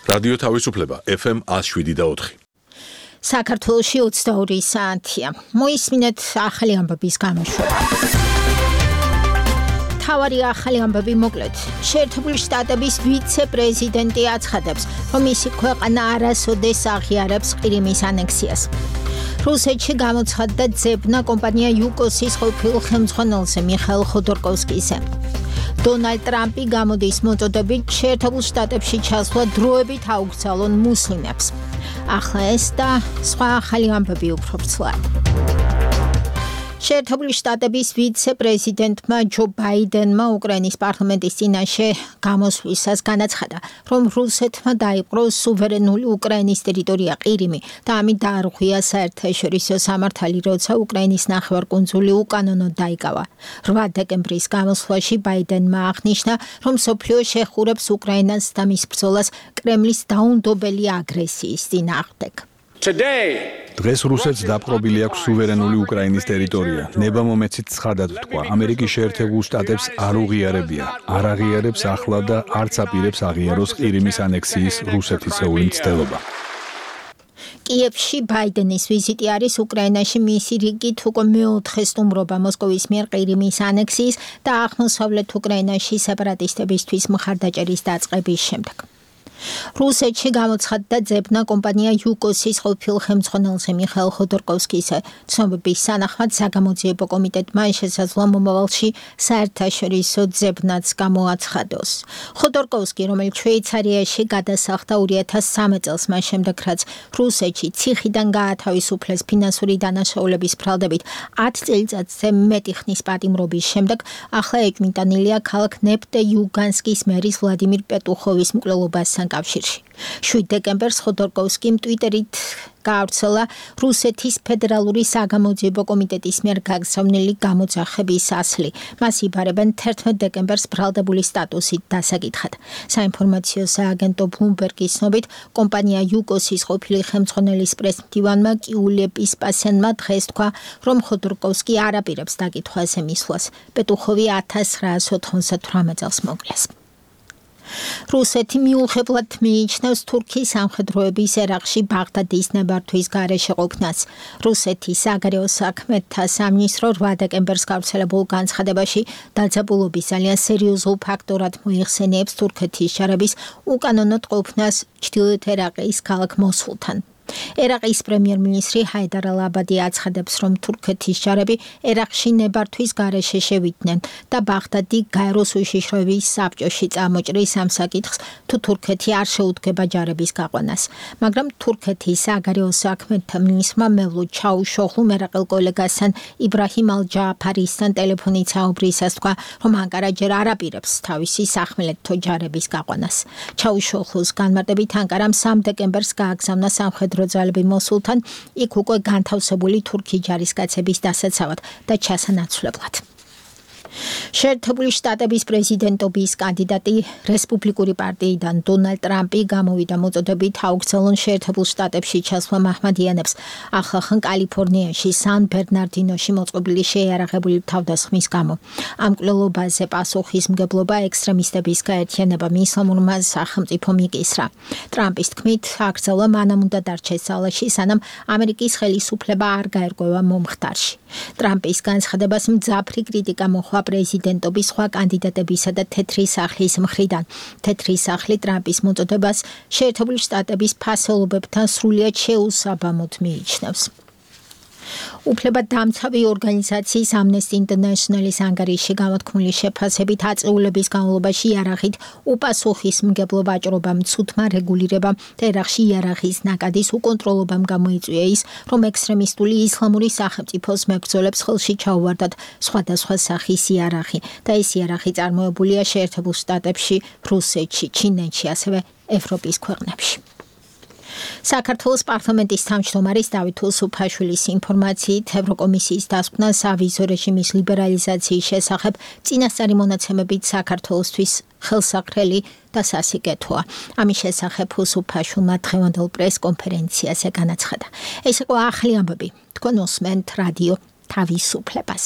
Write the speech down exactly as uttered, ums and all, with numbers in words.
რადიო თავისუფლება F M one oh seven და four. საქართველოში ოცდაორი საათია. მოისმინეთ ახალი ამბების გამოშვება. თავარი ახალი ამბები მოკლედ. შეერთებული შტატების ვიცე-პრეზიდენტი აცხადებს, რომ მისი ქვეყანა არასოდეს აღიარებს ყირიმის ანექსიას. რუსეთში გამოცხადდა ძებნა კომპანია იუკოსის ყოფილ ხელმძღვანელზე მიხაილ ხოდორკოვსკიზე. დონალდ ტრამპი გამოდის მოწოდებით შეერთებულ შტატებში ჩასვლა დროებით აუგზავნონ მუსლიმებს. ახლა ეს და სხვა ახალი ამბები უფრო ვრცლად. შეერთებული შტატების ვიცე-პრეზიდენტმა ჯო ბაიდენმა უკრაინის პარლამენტის წინაშე გამოსვლისას განაცხადა, რომ რუსეთმა დაიპყრო სუვერენული უკრაინის ტერიტორია ყირიმი და ამით დაარღვია საერთაშორისო სამართალი, როცა უკრაინის ნახევარკუნძული უკანონოდ დაიკავა. რვა დეკემბრის გამოსვლაში ბაიდენმა აღნიშნა, რომ მსოფლიო შეხურებს უკრაინას და მის ბრძოლას კრემლის დაუნდობელი აგრესიის წინააღმდეგ. დღეს რუსეთს დაპყრობილი აქვს სუვერენული უკრაინის ტერიტორია. ნებამომეცით ცხადად ვთქვა, ამერიკის შეერთებულ შტატებს არ უღიარებია, არ აღიარებს ახლა და არც აპირებს აღიაროს ყირიმის ანექსიის რუსეთისეული მცდელობა. კიევში ბაიდენის ვიზიტი არის უკრაინაში მისი რიგით უკვე მეოთხე სტუმრობა მოსკოვის მიერ ყირიმის ანექსიის და აღმოსავლეთ უკრაინაში სეპარატისტებისთვის მხარდაჭერის დაწყების შემდეგ. რუსეთში გამოცხადდა ძებნა კომპანია იუკოსის ყოფილ ხელმძღვანელზე მიხაილ ხოდორკოვსკიზე. ცნობების თანახმად საგამოძიებო კომიტეტმა შესაძლოა მომავალში საერთაშორისო ძებნაც გამოაცხადოს. ხოდორკოვსკი, რომელიც შვეიცარიაში გადასახლდა ორი ათას სამი წელს მას შემდეგ, რაც რუსეთში ციხიდან გაათავისუფლეს ფინანსური დანაშაულების ბრალდებით ათი წელიწადზე მეტი ხნის პატიმრობის შემდეგ, ახლა ეჭვმიტანილია ქალაქ ნეფტე-იუგანსკის მერის ვლადიმირ პეტუხოვის მკვლელობასთან კავშირში. შვიდ დეკემბერს ხოდორკოვსკიმ ტვიტერით გაავრცელა რუსეთის ფედერალური საგამოძიებო კომიტეტის მიერ გაგზავნილი გამოძახების ასლი. მას იბარებენ თერთმეტ დეკემბერს ბრალდებული სტატუსით დასაკითხად. საინფორმაციო სააგენტო ბლუმბერგის ცნობით, კომპანია იუკოსის ყოფილი ხელმძღვანელის პრესმდივანმა კიულე პისპასენმა დღეს თქვა, რომ ხოდორკოვსკი არ აპირებს დაკითხვაზე მისვლას. პეტუხოვი ათას ცხრაას ოთხმოცდათვრამეტ წელს მოკლეს. რუსეთი მიუღებლად მიიჩნევს თურქიის სამხედროების ერაყში ბაღდადის ნებართვის გარეშე ყოფნას. რუსეთის საგარეო საქმეთა სამინისტრო რვა დეკემბერს გავრცელებულ განცხადებაში დაძაბულობის ძალიან სერიოზულ ფაქტორად მოიხსენიებს თურქეთის ჯარების უკანონოდ ყოფნას ჩრდილოეთ ერაყის ქალაქ მოსულთან. ერაყის პრემიერ-მინისტრი ჰაიდარ ალ-აბადი აცხადებს, რომ თურქეთის ჯარები ერაყში ნებართვის გარეშე შევიდნენ და ბაღდადი გაეროს უშიშროების საბჭოში წამოჭრის ამ საკითხს, თუ თურქეთი არ შეუდგება ჯარების გაყვანას. მაგრამ თურქეთის საგარეო საქმეთა მინისტრმა მევლუდ ჩაუშოღლუმ ერაყელ კოლეგასთან იბრაჰიმ ალ-ჯააფარისთან ტელეფონით საუბრისას თქვა, რომ ანკარა ჯერ არ აპირებს თავისი სახმელეთო ჯარების გაყვანას. ჩაუშოღლუს განმარტებით ანკარამ სამი დეკემბერს გააგზავნა სამხედრო ძალები მოსულთან, იქ უკვე განთავსებული თურქი ჯარისკაცების დასაცავად და ჩასანაცვლებლად. შეერთებული შტატების პრეზიდენტობის კანდიდატი რესპუბლიკური პარტიიდან დონალდ ტრამპი გამოვიდა მოწოდებით აუგზავნონ შეერთებულ შტატებში ჩასვლა მაჰმადიანებს. ახალ კალიფორნიაში სან ბერნარდინოში მოწყობილი შეიარაღებული თავდასხმის გამო. ამ მკვლელობაზე პასუხისმგებლობა ექსტრემისტების გაერთიანებამ ისლამურმა სახელმწიფომ იკისრა. ტრამპის თქმით, აკრძალვა მანამ უნდა დარჩეს ძალაში, სანამ ამერიკის ხელისუფლება არ გაერკვევა მომხდარში. ტრამპის განცხადებას მძაფრი კრიტიკა მოჰყვა პრეზიდენტობის სხვა კანდიდატებისა და თეთრი სახლის მხრიდან. თეთრი სახლი ტრამპის მოწოდებას შეერთებული შტატების ფასეულობებთან სრულიად შეუსაბამოდ მიიჩნევს. უფლებადამცავი ორგანიზაციის Amnesty International-ის ანგარიში გამოთქმული შეფასებით აწეულების განმავლობაში იარაღით უპასუხისმგებლო ვაჭრობამ, ცუდმა რეგულირებამ და ერაყში იარაღის ნაკადის უკონტროლობამ გამოიწვია ის, რომ ექსტრემისტული ისლამური სახელმწიფოს მებრძოლებს ხელში ჩაუვარდათ სხვადასხვა სახის იარაღი და ეს იარაღი წარმოებულია შეერთებულ შტატებში, რუსეთში, ჩინეთში, ასევე ევროპის ქვეყნებში. საქართველოს პარლამენტის თავმჯდომარის დავით უსუფაშვილის ინფორმაციით, ევროკომისიის დასკვნა სავიზო რეჟიმის ლიბერალიზაციის შესახებ წინასწარი მონაცემებით საქართველოსთვის ხელსაყრელი და სასიკეთოა. ამის შესახებ უსუფაშვილმა დღევანდელ პრეს-კონფერენციაზე განაცხადა. ეს იყო ახალი ამბები. თქვენ უსმენთ რადიო თავისუფლებას.